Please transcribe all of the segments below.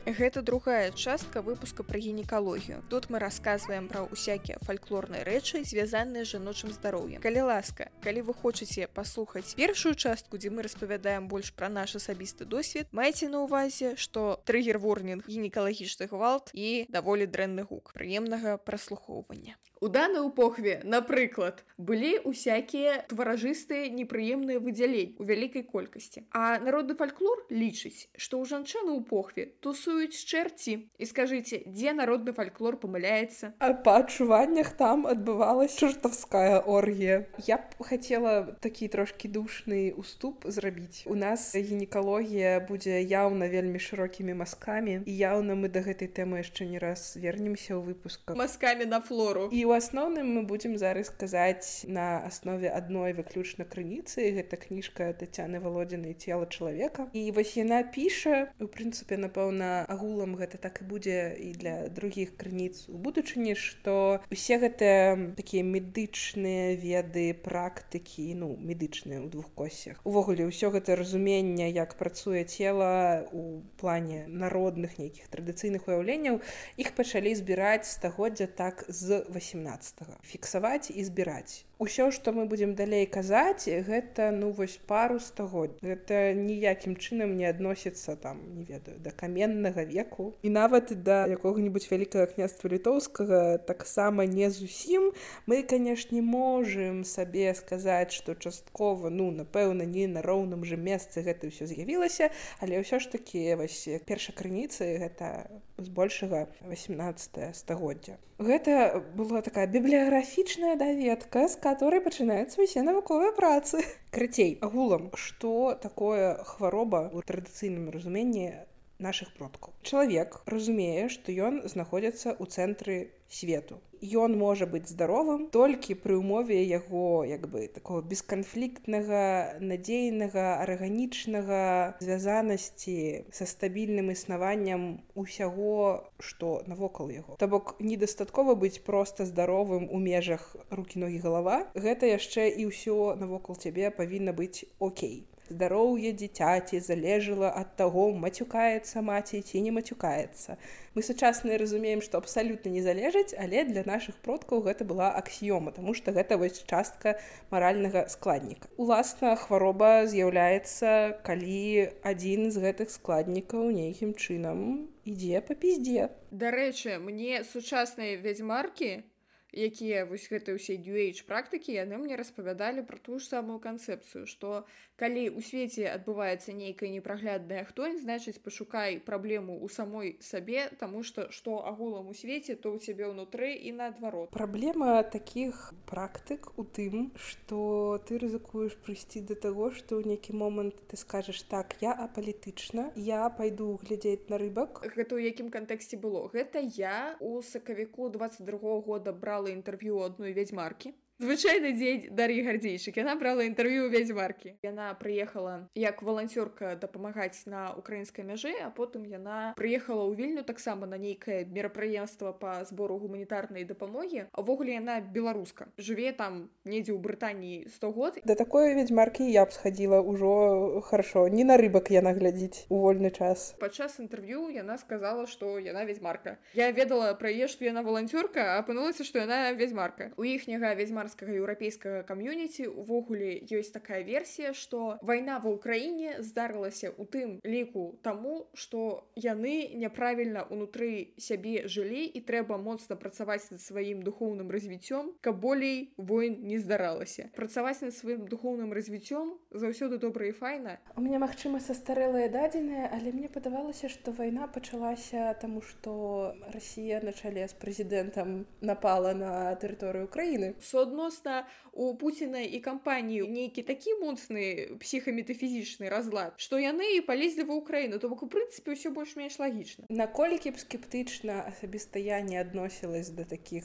Гэта другая частка выпуска пра гінекалогію. Тут мы расказваем пра ўсякія фальклорныя рэчы, звязаныя з жаночым здароўем. Калі ласка, калі вы хочаце паслухаць першую частку, дзе мы распавядаем больш пра наш асабісты досвед, майце на ўвазе, што трыгер-ворнінг, гінекалагічны гвалт і даволі дрэнны гук. Прыемнага праслухоўвання. У данай эпохе, напрыклад, былі ўсякія тваражыстыя непрыемныя выдзяленні ў вялікай колькасці. А народны фальклор лічыць, што ў жанчыны ў похве тусуюць чэрці. І скажыце, дзе народны фальклор памыляецца? А па адчуваннях там адбывалась чартавская оргія. Я б хацела такі трошкі душны уступ зрабіць. У нас гінекалогія будзе яўна вельмі шырокімі мазкамі, і яўна мы да гэтай тэмы яшчэ не раз вернемся ў выпусках. Мазкамі на флору. І ў асноўным мы будзем зараз казаць на аснове адной выключна крыніцы. Гэта кніжка Тацяны Валодзінай «Цела чалавека». І вось яна піша, у прынцыпе, напэўна, агулам гэта так і будзе і для другіх крыніц у будучыні, што усе гэтыя такія медычныя веды, практыкі, медычныя ў двух косях. Увогуле, ўсё гэта разуменне, як працуе цела у плане народных нейкіх традыцыйных уяўленняў, іх пачалі збіраць стагоддзя так з 18-го. Фіксаваць і збіраць. Усё, што мы будзем далей казаць, гэта, вось пару стагоддзяў. Гэта ніякім чынам не адносіцца не ведаю, да каменнага веку. І нават да якога-небудзь вялікага княства літоўскага таксама не зусім. Мы, канешне, можам сабе сказаць, што часткова, напэўна, не на роўным жа месцы гэта ўсё з'явілася, але ўсё ж такі вось першакрыніцы гэта збольшага 18 стагоддзя. Гэта была такая бібліяграфічная даведка, з которой пачынаюцца ўсе навуковыя працы. Карацей, агулам, што такое хвароба ў традыцыйным разуменні нашых продкаў? Чалавек разумее, што ён знаходзіцца ў цэнтры свету. Ён можа быць здаровым толькі пры ўмове яго такого бесканфліктнага, надзейнага, арганічнага звязанасці са стабільным існаваннем усяго, што навокал яго. То бок недастаткова быць проста здаровым у межах рукі, ногі, галава. Гэта яшчэ і ўсё навокал цябе павінна быць окей. Здароўе дзіцяці залежала ад таго, мацюкаецца маці ці не мацюкаецца. Мы сучасныя разумеем, што абсалютна не залежыць, але для нашых продкаў гэта была аксіёма, таму што гэта вось частка маральнага складніка. Уласна, хвароба з'яўляецца, калі адзін з гэтых складнікаў нейкім чынам ідзе па піздзе. Дарэчы, мне сучасныя вядзьмаркі, якія вось гэтыя ўсе New Age практыкі, яны мне распавядалі пра тую ж самую канцэпцыю, што калі ў свеце адбываецца нейкая непраглядная хтонь, значыць, пашукай праблему ў самой сабе, таму што агулам у свеце, то ў цябе ўнутры і наадварот. Праблема такіх практык у тым, што ты рызыкуеш прыйсці да таго, што ў нейкі момант ты скажаш: так, я апалітычна, я пайду глядзець на рыбак. Гэта ў якім кантэксце было? Гэта я у сакавіку 22-го года брала інтэрв'ю адной вядзьмаркі. Звычайны дзень Дар'і Гардзейчык. Яна брала інтэрв'ю ў вядзьмаркі. Яна прыехала як валанцёрка дапамагаць на украінскай мяжы, а потым яна прыехала ў Вільню таксама на нейкае мерапрыемства па збору гуманітарнай дапамогі. А ўвогуле яна беларуска. Жыве там недзе ў Брытаніі 100 год. Да такой вядзьмаркі я б схадзіла ўжо хорошо. Не на рыбак яна глядзіць у вольны час. Падчас інтэрв'ю яна сказала, што яна вядзьмарка. Я ведала пра яе, што яна валанцёрка, а апынулася, што яна вядзьмарка. У іхняга еўрапейскага кам'юніці увогуле ёсць такая версія, што вайна ва ўкраіне здарылася ў тым ліку таму, што яны няправільна ўнутры сябе жылі і трэба моцна працаваць над сваім духоўным развіццём, каб болей войн не здаралася. Працаваць над сваім духоўным развіццём заўсёды добра і файна. У мяне, магчыма, састарэлыя дадзеныя, але мне падавалася, што вайна пачалася таму, што Расія на чале з прэзідэнтам напала на тэрыторыю Украіны. Суадносна у Пуціна і кампаніі нейкі такі моцны псіхаметафізічны разлад, што яны палезлі ва ўкраіну, то бок у прынцыпе ўсё больш-менш лагічна. Наколькі б скептычна асабіста я не адносілась да такіх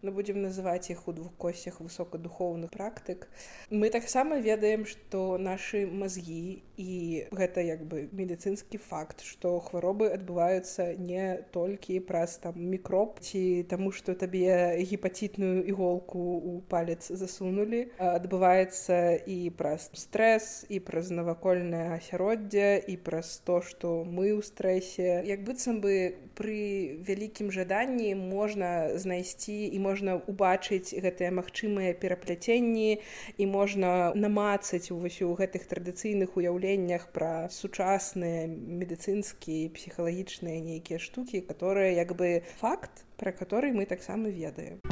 но будзем называць іх у двухкосцях высокадухоўных практык. Мы таксама ведаем, што нашы мазгі, і гэта як бы медыцынскі факт, што хваробы адбываюцца не толькі праз там мікроб ці таму, што табе гепатітную іголку ў палец засунулі, адбываецца і праз стрэс, і праз навакольнае асяроддзе, і праз то, што мы ў стрэсе. Як быццам бы пры вялікім жаданні можна знайсці і можна убачыць гэтыя магчымыя перапляценні, і можна намацаць у гэтых традыцыйных уяўленнях пра сучасныя медыцынскія, псіхалагічныя нейкія штукі, которые як бы факт, пра который мы таксама ведаем.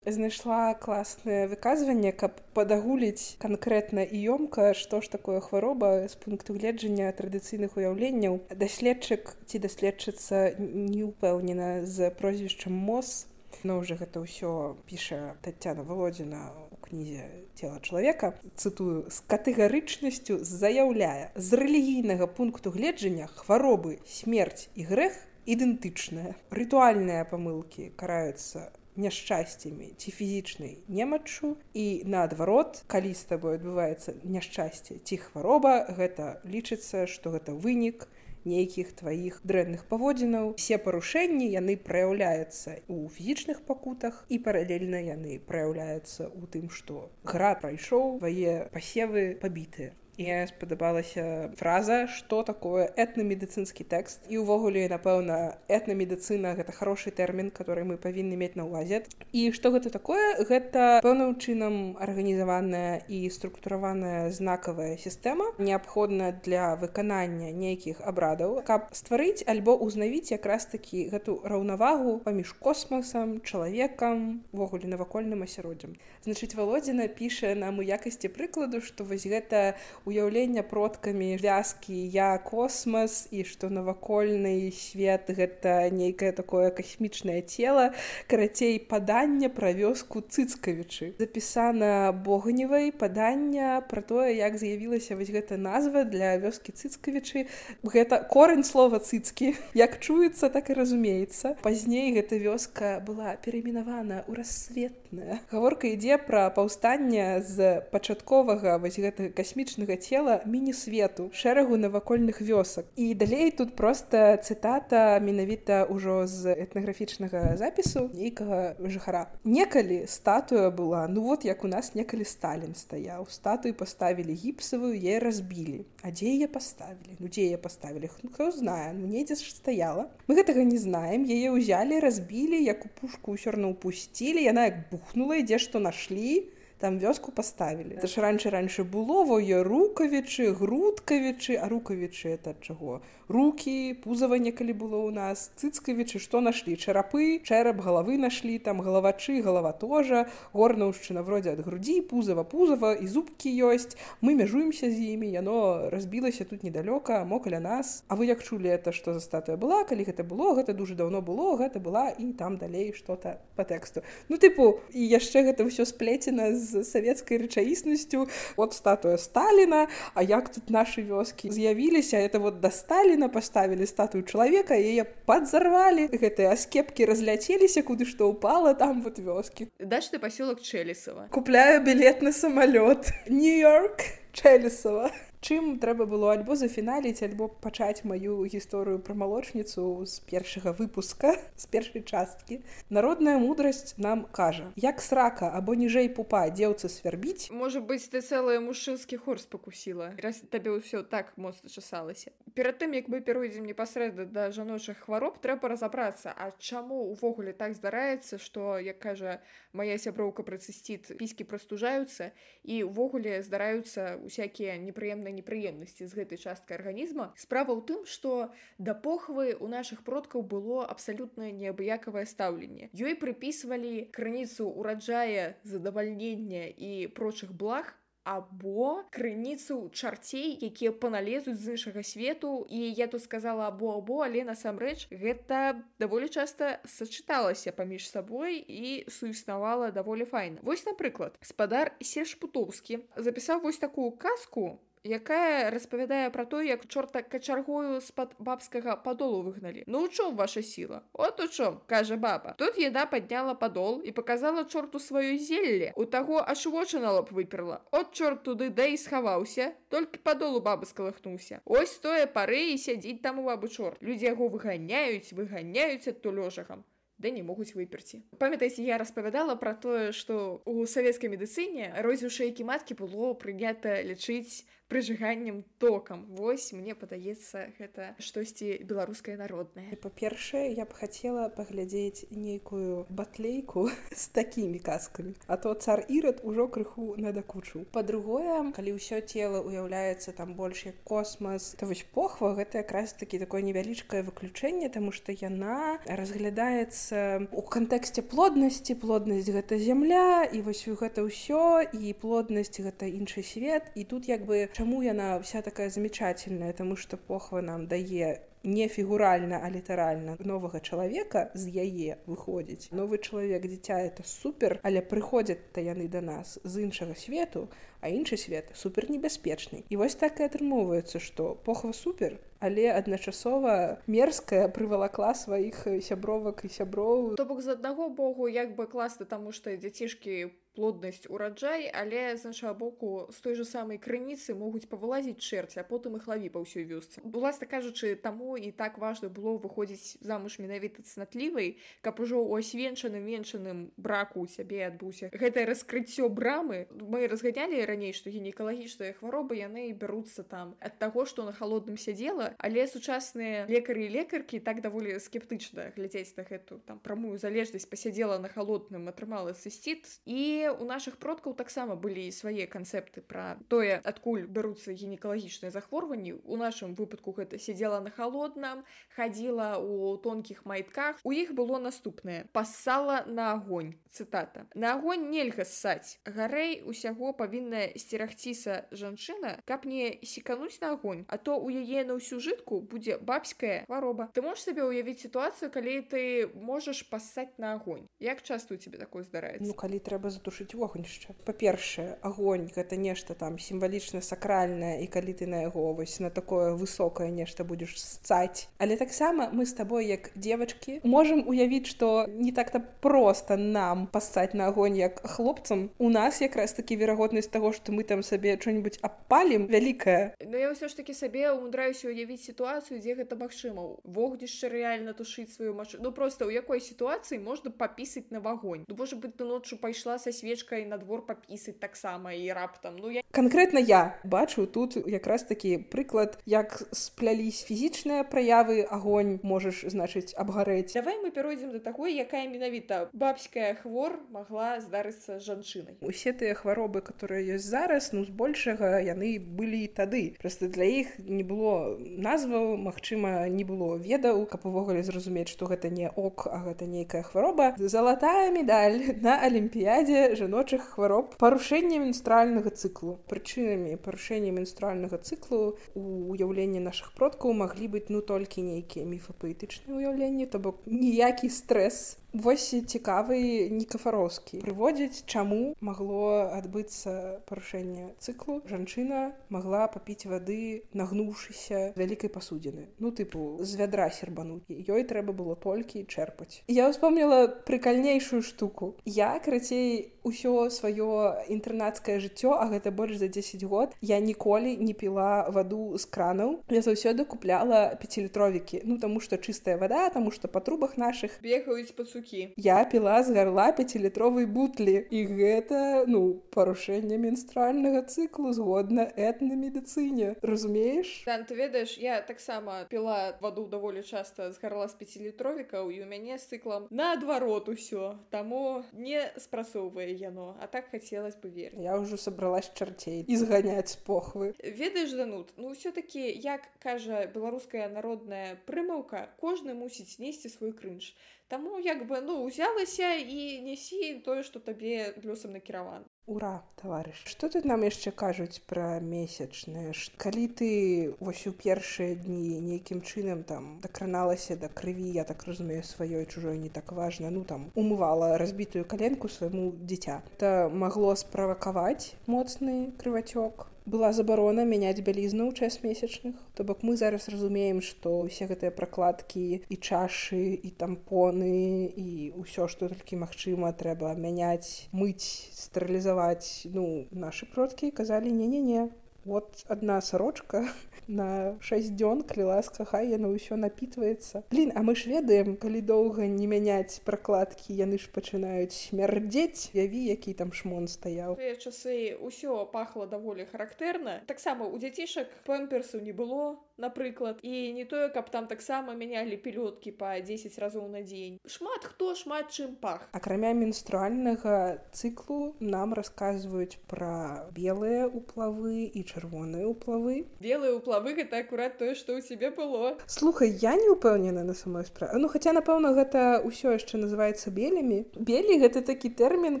Знайшла класнае выказванне, каб падагуліць канкрэтна і ёмка, што ж такое хвароба з пункту гледжання традыцыйных уяўленняў. Даследчык ці даследчыца не ўпэўнена з прозвішчам Мос, но ўжо гэта ўсё піша Таццяна Валодзіна ў кнізе «Цела чалавека». Цытую: «З катэгарычнасцю заяўляе, з рэлігійнага пункту гледжання хваробы, смерць і грэх ідэнтычныя. Рытуальныя памылкі караюцца няшчасцямі ці фізічнай немаччу, і наадварот, калі з табой адбываецца няшчасце ці хвароба, гэта лічыцца, што гэта вынік нейкіх тваіх дрэнных паводзінаў. Усе парушэнні, яны праяўляюцца ў фізічных пакутах, і паралельна яны праяўляюцца ў тым, што град прайшоў, твае пасевы пабітыя». Мне спадабалася фраза, што такое этнамедыцынскі тэкст. І ўвогуле, напэўна, этнамедыцына — гэта хорошы тэрмін, который мы павінны мець на ўвазе. І што гэта такое? Гэта пэўным чынам арганізаваная і структураваная знакавая сістэма, неабходная для выканання нейкіх абрадаў, каб стварыць альбо ўзнавіць якраз такі гэту раўнавагу паміж космасам, чалавекам, увогуле навакольным асяроддзем. Значыць, Валодзіна піша нам у якасці прыкладу, што вось гэта уяўлення продкамі вязкі «я космас», і што навакольны свет — гэта нейкае такое касмічнае цела. Карацей, паданне пра вёску Цыцкавічы. Запісана Боганевай паданне пра тое, як з'явілася вось гэта назва для вёскі Цыцкавічы. Гэта корань слова «цыцкі». Як чуецца, так і разумеецца. Пазней гэта вёска была перайменавана ў Рассветная. Гаворка ідзе пра паўстанне з пачатковага вось гэтага касмічнага цела міні-свету, шэрагу навакольных вёсак. І далей тут проста цытата менавіта ўжо з этнаграфічнага запісу нейкага жыхара. Некалі статуя была, ну вот як у нас некалі Сталін стаяў. Статую паставілі гіпсавую, яе разбілі. А дзе яе паставілі? Ну дзе яе паставілі? Хто знае, ну недзе ж стаяла. Мы гэтага не знаем. Яе ўзялі, разбілі, як у пушку ўсё роўна ўпусцілі, яна як бухнула, і дзе што нашлі, там вёску паставілі. Это ж раньше было, во є Рукавічы, Грудкавічы, а Рукавічы это ад чаго? Рукі, пузава некалі было ў нас, Цыцкавічы, што нашлі? Чарапы, чэрап галавы нашлі, там галавачы, галава тоже, горнаўшчына вроде ад грудзі, пузава, і зубкі ёсць. Мы мяжуемся з імі, яно разбілася тут недалёка, мо каля нас. А вы як чулі это, што за статуя была? Калі гэта было, гэта дужа даўно было, гэта была, і там далей што-то па тэксту. Ну тыпу, і яшчэ гэта ўсё сплецена з савецкай рэчаіснасцю. Вот статуя Сталіна, а як тут нашы вёскі з'явіліся? Это вот да Сталіна паставілі статую чалавека, яе падзарвалі. Гэтыя аскепкі разляцеліся, куды што ўпала, там вот вёскі. Дачны пасёлак Чэлесава. Купляю білет на самалёт. Нью-Йорк, Чэлесава. Чым трэба было альбо зафіналіць, альбо пачаць маю гісторыю пра малочніцу з першага выпуска, з першай часткі. Народная мудрасць нам кажа: як срака або ніжэй пупа дзеўца свярбіць. Можа быць, ты цэлы мужчынскі хор спакусіла, раз табе ўсё так моцна часалася. Перад тым, як мы перайдзем непасрэдна да жаночых хвароб, трэба разабрацца, а чаму ўвогуле так здараецца, што, як кажа мая сяброўка працыстіт, піські прастужаюцца, і ўвогуле здараюцца усякія непрыемнасці з гэтай часткай арганізма. Справа ў тым, што да похвы ў нашых продкаў было абсалютна неабыякавае стаўленне. Ёй прыпісвалі крыніцу ураджая, задавальнення і прочых благ, або крыніцу чарцей, якія паналезуць з іншага свету. І я тут сказала або, але насамрэч гэта даволі часта сачыталася паміж сабой і суіснавала даволі файна. Вось, напрыклад, спадар Серж Путоўскі запісаў вось такую казку якая распавядае пра то, як чорта качаргою з-пад бабскага падолу выгналі. Ну ў чом ваша сіла? От у чом, кажа баба. Тут яна падняла падол і показала чорту сваё зелле. У таго аж вочы на лоб выперла. От чорт туды да і схаваўся, толькі падолу бабы скалыхнуўся. Ось тое пары і сядзіць там у бабы чорт. Людзі яго выганяюць адтуль ложагам. Да не могуць выперці. Памятаеце, я распавядала пра тое, што ў савецкай медыцыне эрозію шэйкі маткі было прынята лячыць прыжыганнем токам. Вось, мне падаецца, гэта штосьці беларускае народнае. Па-першае, я б хацела паглядзець нейкую батлейку з такімі казкамі. А то цар Ірад ужо крыху надакучыў. Па-другое, калі ўсё цела ўяўляецца там больш як космас, то вось похва гэта якраз такі такое невялічкае выключэнне, таму што яна разглядаецца у кантэксце плоднасці. Плоднасць гэта зямля, і вось гэта ўсё, і плоднасць гэта іншы свет. І тут як бы чаму яна вся такая замечательная, таму што похва нам дае не фігуральна, а літаральна новага чалавека, з яе выходзіць. Новы чалавек, дзіця, это супер, але прыходзяць-то яны да нас з іншага свету, а іншы свет супер небяспечны. І вось так і атрымоўваецца, што похва супер, але адначасова мерзкая прывалакла сваіх сябровак і сяброў. То бок з аднаго боку як бы класна, таму што дзяцішкі плоднасць ураджай, але з іншага боку з той жа самай крыніцы могуць павылазіць чэрці, а потым іх лаві па ўсёй вёсцы. Уласна кажучы, таму і так важна было выходзіць замуж менавіта цнатлівай, каб ужо ў асвенчаным браку ў цябе адбыўся гэтае раскрыццё брамы. Мы разганялі раней, што гінекалагічныя хваробы яны бяруцца там ад таго, што на халодным сядзела, але сучасныя лекары і лекаркі так даволі скептычна глядзець на гэту там прамую залежнасць, пасядзела на халодным, атрымала цыстит. І у нашых продкаў таксама былі свае канцэпты пра тое, адкуль бяруцца гінекалагічныя захворванні. У нашым выпадку гэта сядзела на халодным, хадзіла ў тонкіх майтках. У іх было наступнае: пассала на агонь. Цытата: на агонь нельга ссаць. Гарэй усяго павінна сцерагціся жанчына, каб не секануць на агонь, а то у яе на ўсю жытку будзе бабская хвароба. Ты можаш сабе ўявіць сітуацыю, калі ты можаш пассаць на агонь? Як часта у цябе такое здараецца? Ну, калі трэба затушыць вогнішча. Па-першае, агонь гэта нешта там сімвалічна сакральнае, і калі ты на яго вось на такое высокае нешта будзеш ссаць. Але таксама мы з табой, як дзевачкі, можам уявіць, што не так-то проста нам пассаць на агонь, як хлопцам. У нас якраз такі верагоднасць таго, што мы там сабе что-нибудь абпалім, вялікая. Но я ўсё ж такі сабе умудраюся уявіць сітуацыю, дзе гэта магчыма. Вогнішча рэальна тушыць сваю машыну. Ну проста ў якой сітуацыі можна папісаць на вагонь? Ну, можа быць, ты ноччу пайшла са свечкай на двор папісаць таксама і раптам. Ну, Канкрэтна я бачу тут якраз такі прыклад, як сплялись фізічныя праявы, агонь можаш, значыць, абгарэць. Давай мы перайдзем да таго, якая менавіта бабская хвор магла здарыцца з жанчынай. Усе тыя хваробы, которые ёсць зараз, ну, збольшага яны былі тады. Проста для іх не было назваў, магчыма, не было ведаў, каб увогуле зразумець, што гэта не ок, а гэта нейкая хвароба. Залатая медаль на алімпіядзе жаночых хвароб. Парушэнне менструальнага цыклу. Прычынамі парушэння менструальнага цыклу у ўяўленні нашых продкаў маглі быць ну толькі нейкія міфапаэтычныя ўяўленні, то бок ніякі стрэс. Вось цікавы Нікафароўскі прыводзіць, чаму магло адбыцца парушэнне цыклу. Жанчына магла папіць вады, нагнуўшыся вялікай пасудзіны. Ну, тыпу, з вядра сербануць. Ёй трэба было толькі чэрпаць. Я ўспомніла прыкальнейшую штуку. Я, карацей, усё сваё інтэрнацкае жыццё, а гэта больш за 10 год, я ніколі не піла ваду з кранаў. Я заўсёды купляла 5-літровікі. Ну, таму што чыстая вада, таму што па трубах нашых бегаюць па сукі. Я піла з гарла 5-літровай бутлі. І гэта, ну, парушэнне менструальнага цыклу згодна этнамедыцыне. Разумееш? Дан, ты ведаеш, я таксама піла ваду даволі часта з гарла з 5-літровікаў, і ў мяне з цыклам наадварот усё. Таму не спрацоўвае яно, а так хацелось бы верыць. Я ўжо сабралась чарцей і зганяць з похвы. Ведаеш, Данут, ну ўсё-такі, як кажа беларуская народная прымаўка, кожны мусіць несці свой крынж. Таму, як бы, ну, узялася і несі тое, што табе лёсам накіравана. Ура, таварыш. Што тут нам яшчэ кажуць пра месячныя? Калі ты вось у першыя дні нейкім чынам там дакраналася да крыві, я так разумею, сваёй чужой не так важна, ну там умывала разбітую каленку свайму дзіця. Это магло справакаваць моцны крывацёк. была забарона мяняць бялізну ў час месячных. То бок мы зараз разумеем, што ўсе гэтыя пракладкі і чашы, і тампоны, і ўсё, што толькі магчыма, трэба мяняць, мыць, стэрылізаваць. Ну, нашы продкі казалі, не-не-не. Вот одна сорочка на 6 дзён, калі ласка, хай яно ўсё напітваецца. Блін, а мы ж ведаем, калі доўга не мяняць пракладкі, яны ж пачынаюць смярдзець. Яві, які там шмон стаяў. Тыя часы ўсё пахла даволі характэрна. Таксама у дзяцішак пэмперсу не было, напрыклад. І не тое, каб там таксама мянялі пілёткі па 10 разоў на дзень. Шмат хто, шмат чым пах. Акрамя менструальнага цыклу нам расказваюць пра белыя ўплавы і чырвоныя ўплавы. Белыя ўплавы — гэта акурат тое, што ў цябе было. Слухай, я не ўпэўнена на самой справе. Ну, хаця, напэўна, гэта ўсё яшчэ называецца белямі. Белі — гэта такі тэрмін,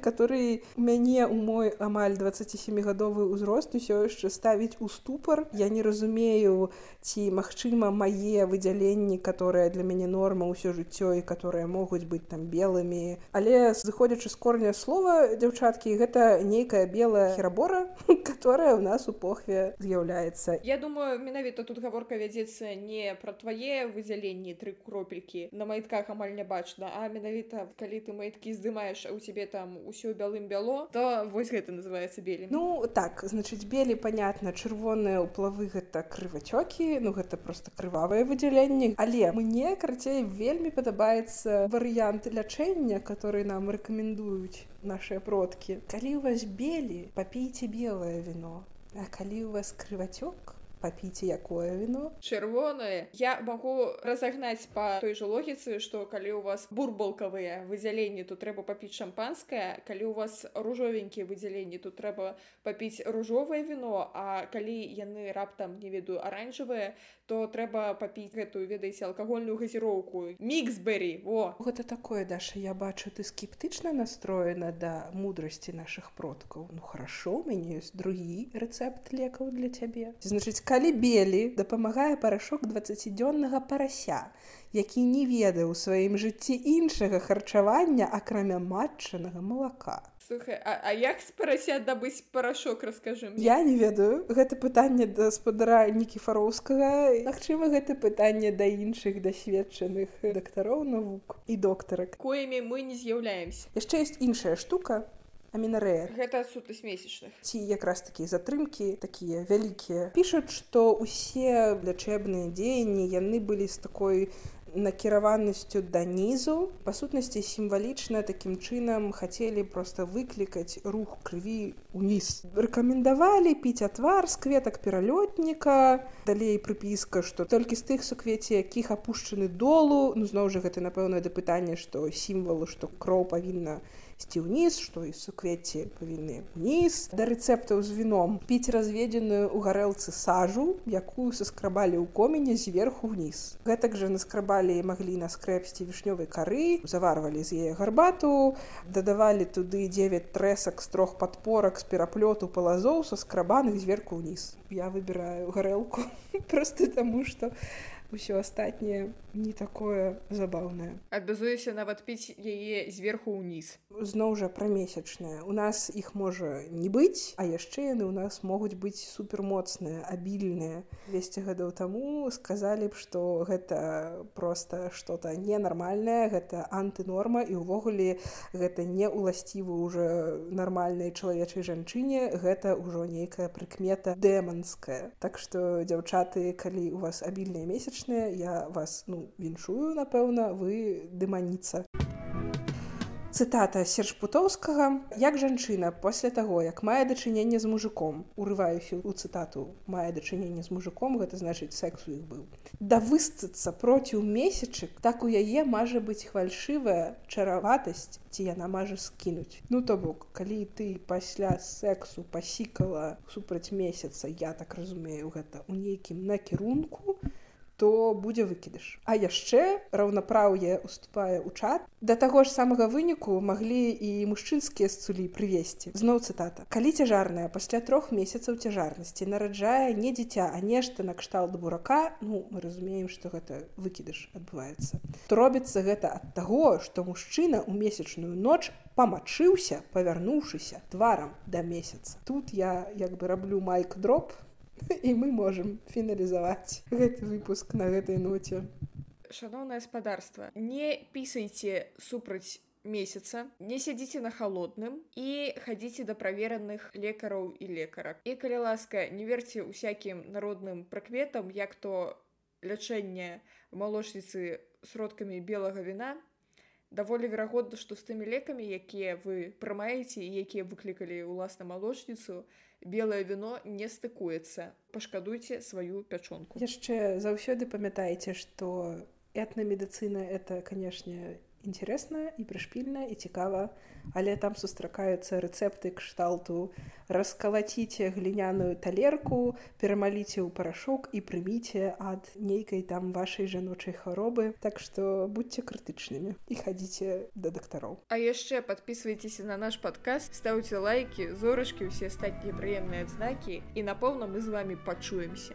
который мяне ў мой амаль 27-гадовы ўзрост усё яшчэ ставіць у ступар. Я не разумею, ці, магчыма, мае выдзяленні, которые для мяне норма ўсё жыццё і которые могуць быць там белымі. Але, зыходзячы з корня слова, дзяўчаткі, гэта нейкая белая херабора, которая ў нас у похве з'яўляецца. Я думаю, менавіта тут гаворка вядзецца не пра твае выдзяленні 3 кропелькі. На майтках амаль не бачна, а менавіта, калі ты майткі здымаеш, а ў цябе там усё бялым-бяло, то вось гэта называецца белем. Ну, так, значыць, белі, понятна, чырвоныя ўплавы — гэта крывацёкі, ну, гэта проста крывавыя выдзяленні. Але мне, карацей, вельмі падабаецца варыянт лячэння, который нам рэкамендуюць нашыя продкі. Калі ў вас белі, папійце белае віно. А калі у вас крывацёк, папіце якое віно? Чырвонае. Я магу разагнаць па той жа логіцы, што калі ў вас бурбалкавыя выдзяленні, то трэба папіць шампанскае, калі ў вас ружовенькія выдзяленні, то трэба папіць ружовае віно, а калі яны раптам, не ведаю, аранжавыя, то трэба папіць гэтую, ведаеце, алкагольную газіроўку. Міксбері, во! Гэта такое, Даша, я бачу, ты скептычна настроена да мудрасці нашых продкаў. Ну, хорошо, у мяне ёсць другі рэцэпт лекаў для цябе. Значыць, калі белі, дапамагае парашок 20-дзённага парася, які не ведае ў сваім жыцці іншага харчавання, акрамя матчанага малака. Слухай, а як з парася дабыць парашок, раскажы мне? Я не ведаю. Гэта пытанне да гаспадара Нікіфароўскага. Магчыма, гэта пытанне да іншых дасведчаных дактароў навук і доктарак. Коімі мы не з'яўляемся. Яшчэ ёсць іншая штука. Аменарэя. Гэта адсутнасць месячных. Ці якраз такі затрымкі, такія вялікія. Пішуць, што ўсе лячэбныя дзеянні, яны былі з такой накіраванасцю да нізу. Па сутнасці, сімвалічна такім чынам хацелі проста выклікаць рух крыві ўніз. Рэкамендавалі піць адвар з кветак пералётніка. Далей прыпіска, што толькі з тых суквецей, якіх апушчаны долу. Ну, зноў жа, гэта, напэўна, да пытання, што сімвалу, што кроў павінна ісці ўніз, што і суквецці павінны ўніз. Да рэцэптаў з віном. Піць разведзеную ў гарэлцы сажу, якую саскрабалі ў коміне зверху ўніз. Гэтак жа наскрабалі маглі на скрэпсці вішнёвай кары, заварвалі з яе гарбату, дадавалі туды 9 трэсак з 3 падпорак з пераплёту палазоў саскрабаных зверху ўніз. Я выбіраю гарэлку проста таму, што усё астатняе не такое забаўнае. Адбязуюся нават піць яе зверху ўніз. Зноў жа пра месячныя. У нас іх можа не быць, а яшчэ яны ў нас могуць быць супермоцныя, абільныя. 200 гадоў таму сказалі б, што гэта проста што-то ненармальнае, гэта антынорма, і ўвогуле гэта не ўласцівы ўжо нармальнай чалавечай жанчыне, гэта ўжо нейкая прыкмета дэманская. Так што, дзяўчаты, калі у вас абільныя месячныя, я вас, віншую, напэўна, вы дэманіца. Цытата Серж Путоўскага. Як жанчына пасля таго, як мае дачыненне з мужыком, урываюся ў цытату, мае дачыненне з мужыком, гэта значыць, секс у іх быў, да высцацца проціў месячык, так у яе можа быць хвальшывая чараватасць, ці яна можа скінуць. Ну, то бок, калі ты пасля сексу пасікала супраць месяца, я так разумею, гэта ў нейкім накірунку, то будзе выкідыш. А яшчэ раўнапраўе уступае ў чат. Да таго ж самага выніку маглі і мужчынскія сцулі прывесці. Зноў цытата. Калі цяжарная пасля 3 месяцаў цяжарнасці нараджае не дзіця, а нешта накшталт бурака, ну, мы разумеем, што гэта выкідыш адбываецца, то робіцца гэта ад таго, што мужчына ў месячную ноч памачыўся, павярнуўшыся тварам да месяца. Тут я як бы раблю майк-дроп, і мы можам фіналізаваць гэты выпуск на гэтай ноце. Шаноўнае гаспадарства, не пісайце супраць месяца, не сядзіце на халодным і хадзіце да правераных лекараў і лекарак. І, калі ласка, не верце ўсякім народным прыкметам, як то лячэнне малочніцы сродкамі белага віна. Даволі верагодна, што з тымі лекамі, якія вы прымаеце і якія выклікалі ўласна малочніцу, белае віно не стыкуецца. Пашкадуйце сваю пячонку. Яшчэ заўсёды памятайце, што этнамедыцына — это, канешне, интересна і прышпільна і цікава, але там сустракаюцца рэцэпты кшталту: раскалаціце гліняную талерку, перамаліце ў парашок і прыміце ад нейкай там вашай жаночай хваробы. Так што будьце крытычнымі і хадзіце да дактароў. А яшчэ падпісвайцеся на наш падкаст, стаўце лайкі, зорачкі, усе астатнія прыемныя адзнакі, і напэўна мы з вамі пачуемся.